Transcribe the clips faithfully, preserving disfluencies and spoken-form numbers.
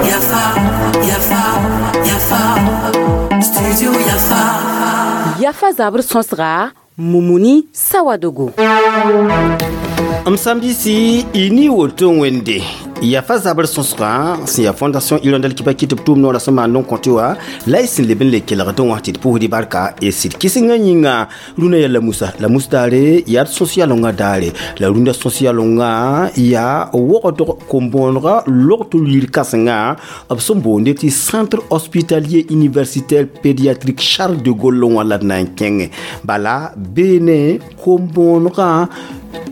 Yafa, Yafa, Yafa, Studio Yafa. Yafa zabr sõsga Mumuni Sawadogo. M sãmbisi y ni woto wẽnde yafa zabr sõsgã sẽn yaa Fondation Hirondelle Kibaki tɩ b tʋʋm noorã sẽn maan n kõ tɩ wa la y sẽn leb n le kelgd wã tɩ d pʋʋsd barka y sɩd kɩsengã yĩnga rũnã yaa lamusa lamus daare yaa d sõs yalengã daare la rũndã sõs yalengã yaa wogdg kom-bõonega log-tʋr yir kãsenga b sẽn boonde tɩ Centre hospitalier universitaire pédiatrique Charles de Gaulle wã la d na n kẽngẽ bala beene kom-bõonegã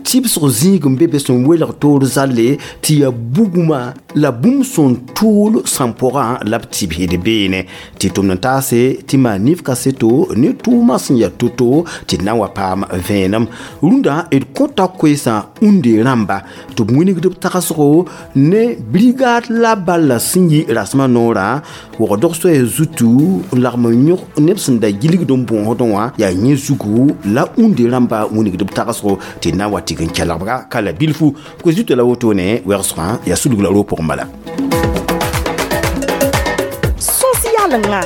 tɩbsg zĩig n be be sẽn welg toor zalle tɩ yaa bugmã la bũmb sẽn tʋʋl sãn pʋgã la b tɩbsd beene tɩ tʋmd n taase tɩ maan nif kaseto ne tʋʋmã sẽn yaa to-to tɩ d na n wa paam vẽenem rũndã d kõta koeesã unde rãmba tɩ b wingd b tagsgo ne brigade la balla sẽn yi rasmã noorã wogdg soaya zutu n lagm n yõg neb sẽn da gilgd n bõosdẽ wã yaa yẽ zugu la unde rãmba wingd b tagsgo tɩ d na n wa tɩg n kelgbga ka la bilfu koe zuto la wotone wɛgsgã yaa sulg la roog pʋgẽ bala. Sõs yalenga.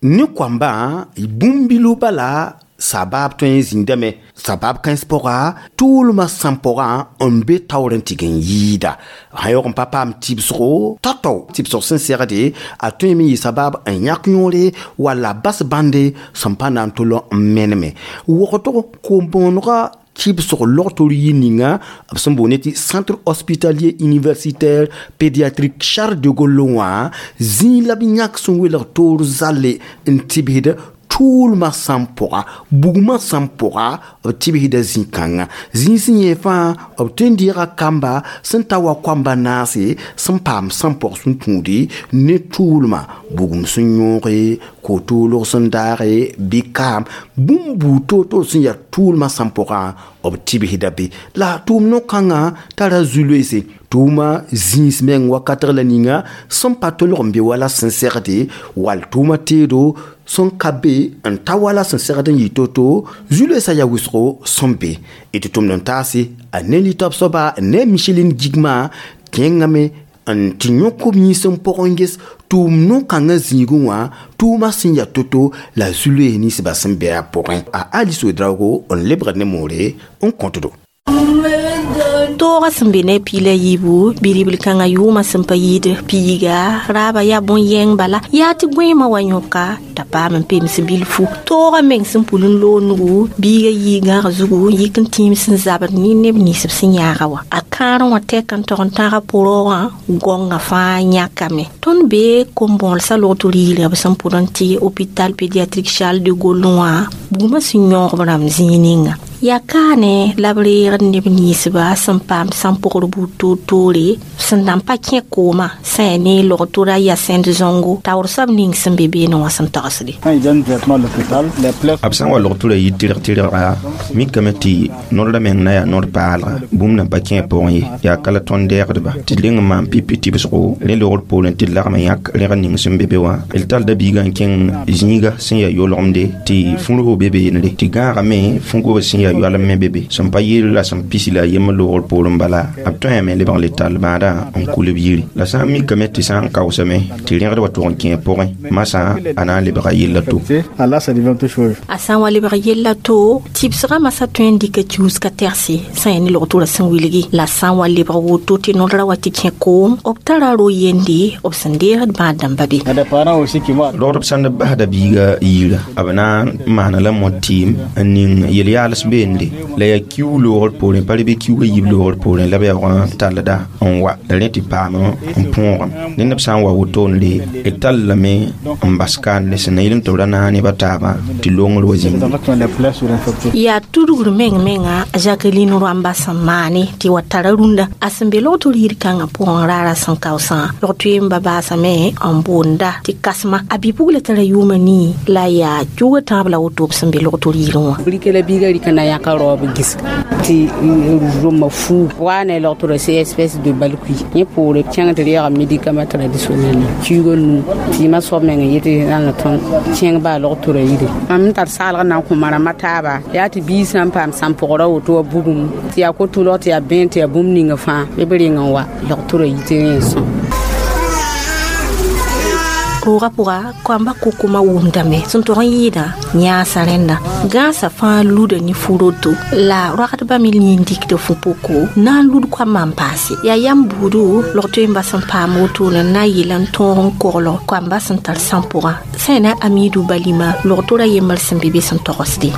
Ne koambã bũmb-bilo bala sabaab tõe n zĩndame sabaab kãens pʋga tʋʋlmã sãn pʋgã n be taoor n tɩg n yɩɩda sã yaoog n pa paam tɩbsgo tao-tao tɩbsg sẽn segde a tõeme n yɩ sabaab n yãk yõore walla bas bãnde sẽn pa na n tol n meneme wogdg kom-bõonega tɩbsg log-tor yir ninga b sẽn boonde tɩ Centre hospitalier universitaire pédiatrique Charles de Gaulle wã zĩig la b yãk sẽn welg toor zalle n tɩbsd tʋʋlmã sãn pʋga bugmã sãn pʋga b tɩbsda zĩ-kãngã zĩig sẽn yẽ fãa b tõe n deega kamba sẽn ta wa koamba naase sẽn paam sãn pʋg sẽn tũudi ne tʋʋlmã bugum sẽn yõoge ko-toolg sẽn daage bɩ kaam bũmb buud toor-toor sẽn yaa tʋʋlmã sãn pʋgã b tɩbsda be la tʋʋm no-kãngã tara zu-loeese tʋʋma zĩis meng wakatg la ninga sẽn pa tolg n be wala sẽn segde wall tʋʋma teedo sẽn ka be n ta wala sẽn segd n yɩ to-to zu-loeesã yaa wʋsgo sẽn be d tɩ tʋmd n taase a ne litɔb soaba ne Micheline Gigma kẽngame n tɩ yõk b yĩns n pʋgẽ ges tʋʋm no-kãngã zĩigẽ wã tʋʋmã sẽn yaa to-to la zu-loees ninsbã sẽn be a pʋgẽ a Alice Ouedraogo n lebgd ne moore n kõtdo. Toogã sẽn be ne piila yiibu bi-ribl kãngã yʋʋmã sẽn pa yɩɩd piiga raaba yaa bõn-yɛng bala yaa tɩ gõeemã wa yõka t'a paam n pems bilfu toogã meng sẽn pul n loog nugu biiga yii gãag zugu n yik n tĩim sẽn zabd ne neb nins b sẽn yãaga wã a kãarẽ wã tɛk n tog n tãga pʋroogã gõngã fãa yãkame tõnd bee kom-bõolsã log-tɩ yirã b sẽn pʋd n tɩ hôpital pédiatrique Charles de Gaulle wã bugmã sẽn yõog b rãmb zĩig ninga yaa kaane la b reegd neb ninsba sẽn paam sãn pʋgr buud toor-toore sẽn nan pa kẽ koomã sã yaa ne log-tora yaa sẽnd zõngo taoor soab ning sẽn be beene wã sẽn tagsde. B sã n wa log-tʋra yɩ tɩrg tɩrga mikame tɩ nodrã meng na yaa nod paalga bũmb nan pa kẽ pʋgẽ ye yaa ka la tõnd deegdba tɩ d reng n maan pipi tɩbsgo rẽ logr poorẽ tɩ d lagm n yãk rẽgd ning sẽn be be wã d tallda biigã n kẽng zĩiga sẽn yaa yoolgemde tɩ fũrgo be beenre tɩ gãagame fũ-gobs sẽn yaa yoalem me be be sẽn pa yɩl la sẽn pisi la a yembr logr poorẽ bala b tõeme lebg le tall bãadã n kul b yiri la sã n mikame tɩ sã n kaoosame tɩ rẽgd wa tʋg n kẽ pʋgẽ masã a na n lebga yella to. A sã n wa lebg yella to tɩbsgã masã tõe n dɩka kiuska tɛgse sã yaa ne log-tʋrã sẽn wilgi la sã n wa lebg woto tɩ nodrã wa tɩ kẽ koom b tara ro-yende b sẽn deegd bãad dãmba be. Rogdb sãn d basda biiga yira b na n maana la mot tɩɩm n ning yel-yaals beende la yaa kiu loogr poorẽ pa re bɩ kiuga yiib loogr poorẽ la b yaoog n tallda n wa la rẽ tɩ paam n põogame ned b sã n wa wotone d tall lame n bas kaanle sẽn na yɩl n tɩ b ra naag neb a taabã tɩ longr wa zĩngi. Yaa tudgr meng menga Jacqueline Rwamba sẽn maane tɩ wa tara rũndã a sẽn be log-tʋr yir kãngã pʋgẽ raara sẽn kaoosã log-toeem ba baasame n boonda tɩ kasma a bi-pugla tara yʋʋma nii la yaa cuga tãab la woto b sẽn be log-tʋr yirẽ wã. Rɩka la biiga rɩka na yãka raoob gisg tɩ rʋma fuu waa ne logtora C S P S de balkui yẽ poore kẽng tɩ reega médicament traditionnel kiuga nuu tɩ yɩmã soab meng n yetɩ rãnga tõnd kẽng baa logtora yire mam n tar saalg na n kõ marama taaba yaa tɩ biig sã n paam sãn-pʋgra woto wa bugum tɩ yaa ko-tʋlg tɩ yaa bẽen tɩ yaa bũmb ninga fãa bɩ b reng n wa logtora yi tɩ rẽ n sõm. Roogã pʋga koamba kokoma wʋmdame sẽn tog n yɩɩdã yãasa rẽnda gãasã fãa luda ne fu-roto la roagdbã me yĩn dikda fu-poko na n lud koambã n paase yaa yam buudu log-toe n bas n paam wotone n na n yeel n tõog n kogl koambã sẽn tar sãn-pʋgã sã na Amidu Balima log-tora yembr sẽn be be sẽn togsde.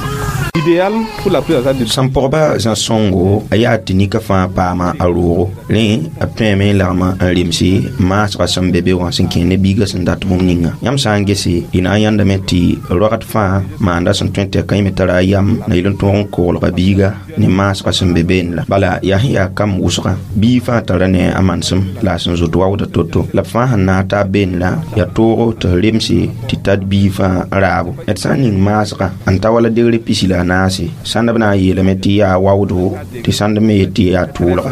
Idéal pour la prise en charge. Sãn-pʋgba zã-sõngo a yaa tɩ nika fãa paama a roogo rẽ b tõeme n lagma n remse maasgã sẽn be be wã sẽn kẽ ne biigã sẽn dat bũmb ninga yãmb sã n gese y na n yãndame tɩ roagd fãa maanda sẽn tõe tɩ a kãime tara a yam na yel n tõog n koglga biiga ne maasgã sẽn be beene la bala yaa sẽn yaa kam wʋsgã biig fãa tara ne a manesem la a sẽn zoet waoodã to-to la b fãa sẽn naag taab beene la yaa toogo tɩ f remse tɩ tat biig fãa n raabo d sã n ning maasgã n ta wala degre pisi la a naase sãnd b na n yeelame tɩ yaa waoodo tɩ sãnd me yet tɩ yaa tʋʋlga.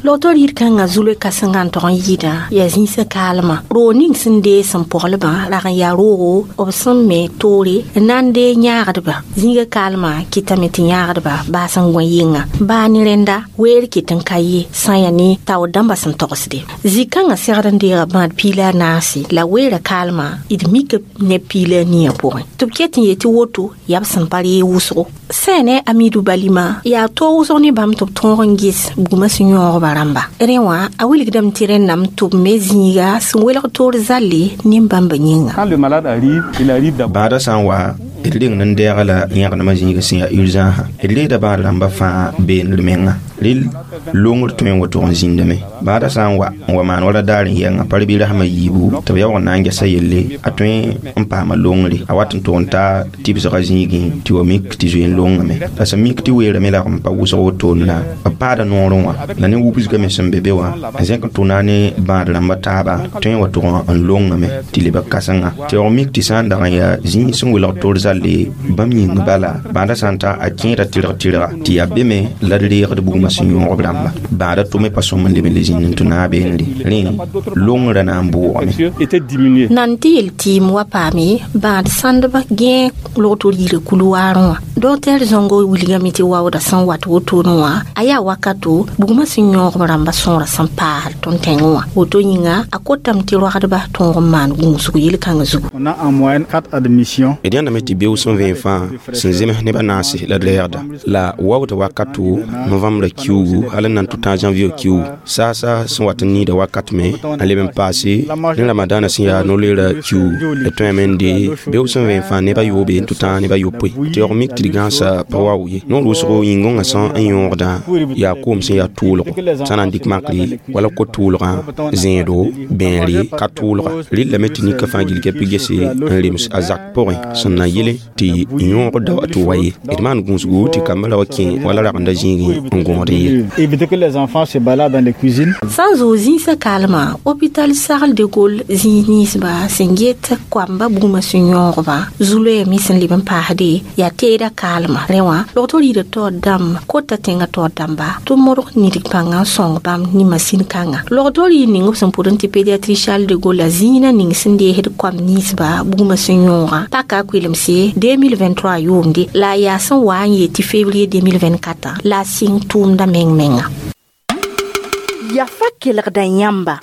Logtor yir kãngã zulẽ kãsengã n tog n yɩɩdã yaa zĩisã kaalmã roog ning sẽn dee sẽn poglbã rag n yaa roogo b sẽn me toore n na n dee yãagdba zĩiga kaalmã kɩtame tɩ yãagdba baas n gõ yɩnga baa ne rẽnda weer ket n ka ye sã n yaa ne taoor dãmbã sẽn togsde zĩ-kãngã segd n deega bãad piila a naase la weera kaalmã d mika ne piila a niiyã pʋgẽ tɩ b ket n yetɩ woto yaa b sẽn pa ree wʋsgo sã ne Amidu Balima yaa toog wʋsg ne bãmb tɩ b tõog n ges bugmã sẽn yõogba rãmba rẽ wã a wilgdame tɩ rẽnname tɩ b me zĩiga sẽn welg toor zalle nin-bãmba yĩnga. Quand le malade arrive, il arrive d'abord. Bãadã sã n wa d reng n deega la yãgenema zĩiga sẽn yaa urgence d reeda bãad rãmbã fãa beendr menga rel longr tõe n wa tʋg n zĩndame bãadã sã n wa n wa maan wala daar n yɛnga pa bɩ rasmã yiibu tɩ b yaoog n na n gesa yelle a tõe n paama longre a wat n tʋg n ta tɩbsgã zĩigẽ tɩ wa mik tɩ zoe n longame la sẽn mik tɩ weerame lagm pa wʋsg wotone la b paada noorẽ wã la ne wubsgame sẽn be be wã n zẽk n tʋna ne bãad rãmbã taaba tõe n wa tʋg n longame tɩ leb kãsenga tɩ yaoog mik tɩ sã n dag n yaa zĩig sẽn welg toor zalle bãmb yĩng bala bãadã sã n ta a kẽeda tɩrg tɩrga tɩ yaa be me la d reegd bugmã sẽn yõog b rãmba bãadã tʋme pa sõm n leb n le zĩnd n tɩ naag beene rẽ longrã na n bʋʋgame. Nan tɩ yel tɩɩm wa paame bãad sãndbã gẽe log-tor yira kulu-waarẽ wã docteur Zongo wilgame tɩ waoodã sẽn wat wotone wã a yaa wakato bugmã sẽn yõog b rãmbã sõora sẽn paasd tõnd tẽngẽ wã woto yĩnga a kotame tɩ roagdba tõog n maan gũusg yel-kãngã zugu. On a en moyenne quatre admissions. D yãndame tɩ beoog sẽn vẽen fãa sẽn zems nebã naase la d reegda la waoodã wakato novembre kiugu hal n na n tʋ tã janvier kiugu saasa sẽn wat n niida wakat me n leb n paase ne ramadaanã sẽn yaa no-leera kiugu d tõeme n dee beoog sẽn vẽen fãa neba yoobe n tʋ tã neba yopoe tɩ yaoog mik tɩ d gãasa pa wao ye noor wʋsgo yĩngõngã sã n yõogdã yaa koom sẽn yaa tʋʋlgo sã na n dɩk makre wala ko-tʋʋlgã zẽedo bẽere ka tʋʋlga rɩllame tɩ nika fãa gil kɛpɩ gese n rems a zak pʋgẽ sẽn na yele tɩ yõog da wa tɩ wa ye d maan gũusgu tɩ kambã ra wa kẽ wala ragenda zĩigẽ n gõod n ye. Éviter que les enfants se baladent dans les cuisines. Sã n zoog zĩisã kaalmã hôpital Charles de Gaulle zĩig ninsba sẽn get koamba bugmã sẽn yõogba zu-loɛɛ me sẽn leb n paasde yaa teeda kaalmã rẽ wã log-tor yira taoor dãmb kota tẽngã taoor dãmba tɩ modg nidg pãngã n sõng bãmb ne masin kãnga log-tor yir ning b sẽn pʋd n tɩ pédiatrie Charles de Gaulle la zĩigã ning sẽn deesd koam ninsba bugmã sẽn yõogã paka a koelemse deux mille vingt-trois yʋʋmde la a yaa sẽn wa n yet tɩ février deux mille vingt-quatre la a sɩng tʋʋmdã meng menga. Yafa kelgda yãmba.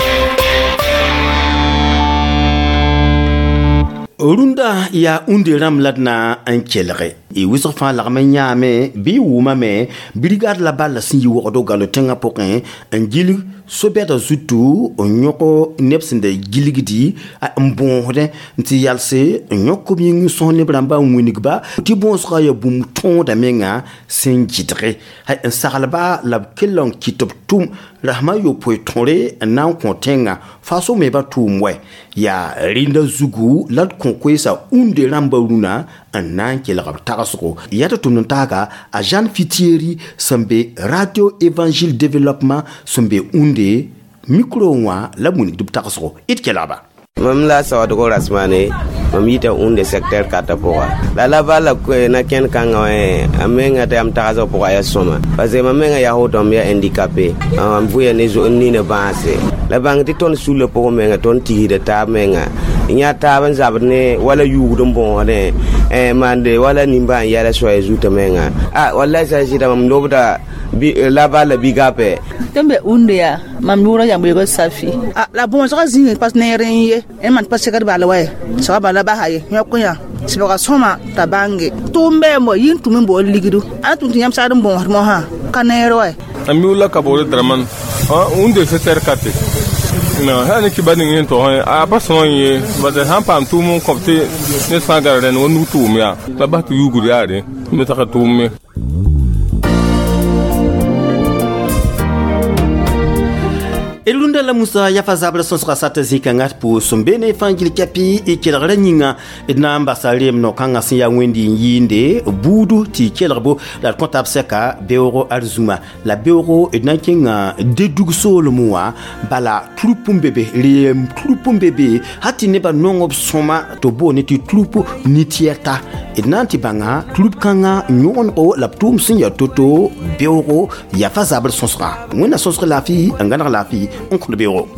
Rũndã yaa ũnde rãmb la d na n kelge y wʋsg fãa lagm n yãame bɩ y wʋmame brigade la bal la sẽn yi wogdo galo tẽngã pʋgẽ n gilg so-bɛda zutu n yõk neb sẽn da gilgdi n bõosdẽ n tɩ yalse n yõk b yĩng sõs neb rãmba n wingba tɩ bõosgã yaa bũmb tõoda menga sẽn gɩdge n saglba la b kell n kɩt b tʋm rasmã yopoe tõre n na n kõ tẽngã faso me ba tʋʋm wɛ yaa rẽnda zugu la d kõ koeesa ũnde rãmba rũnã n na n kelg b tagsgo yaa tɩ tʋmd n taaga a Jeanne Fitieri sẽn be Radio Évangile Développement sẽn be ũnde micro wã la b wingd b tagsgo d kelgba. Mam la sawadgo rasmane mam yita unde secteur kata pʋga la la bala na kẽnd kãngã wã a menga tɩ yam tagsg pʋga yaa sõma parce que mam menga yaa woto m yaa handicapé m vʋya ne nina bãase la bãng tɩ tõnd sulla pʋgẽ menga tõnd tigsda taab menga yã taab n zabd ne wala yuugd n bõosdẽ maande wala nimbãan yɛla soaya zuta menga a wallahi sã n sɩda mam lobda la bala bigape tɩ n be unde yaa mam yʋʋrã yãmb safi la bõosgã zĩig pa neer n ye n man pa segd bala wa ye sega bala basa ye yõk yã sɩbga sõma t'a bãnge tʋʋm bɩ mo yĩn tũm n bool ligdu a tũm tɩ yãmb sagd n bõosd mosã ka neer wa am yʋʋla ka boore draman unde secteur kate non sã ne kiba ning yẽn tog a pa sõa ye bala sã n paam tʋʋm n kõb tɩ ned fãa gara rẽnd wa nug tʋʋm yaa la bas tɩ yuugd yaare me tag tʋʋm me. Elunda la Musa ya fa zabra sõsga sata zĩkãngã pʋʋs n be ne fãa gil kɛpɩ y kelgrã yĩnga d na n basa reem no-kãngã sẽn yaa wẽnd n yɩɩnde buudu tɩ y kelgbo la d kõta b sɛka beoogo arzũma la beoogo d na n kẽnga dedug soolem wã bala trup n be be reem trup n be be hal tɩ nebã nong b sõma tɩ b boone tɩ trup nitiyɛta d na n tɩ bãnga trup kãngã yõgenego la b tʋʋm sẽn yaa to-to beoogo yaa fa zabr sõsga wẽnna sõsg laafɩ n gãneg laafɩ n kõd beoogo.